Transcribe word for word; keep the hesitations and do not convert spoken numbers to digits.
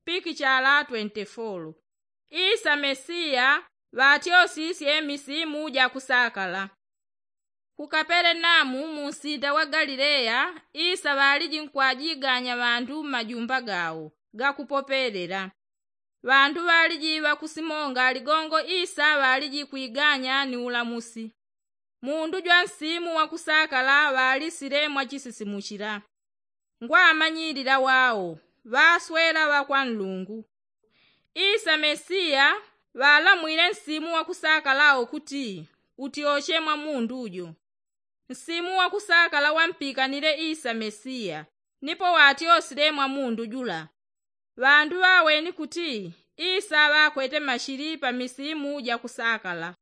pikichala twenti folo. Isa mesiya ŵatyosisye misimu jakusakala. Ku kaperenamu munsinda wa galileya, isa ŵaliji nkwajiganya ŵandu mmajumba gawo gakupopelela. Ŵandu ŵaliji ŵakusimonga ligongo isa ŵaliji kwiganya ni ulamusi. Mundu jwa nsimu wakusakala ŵalisile mwachisisimuchila. Ngwamanyilila wawo ŵaswela ŵakwa nlungu. Isa mesiya ŵalamwile nsimu wakusakala wo kuti utyoche mwa mundu jo. Nsimu wakusakala wampikanile isa mesiya, nipo watyosile mwa mundu jula. Ŵandu ŵaweni kuti isa ŵakwete mashili pa misimu jakusakala.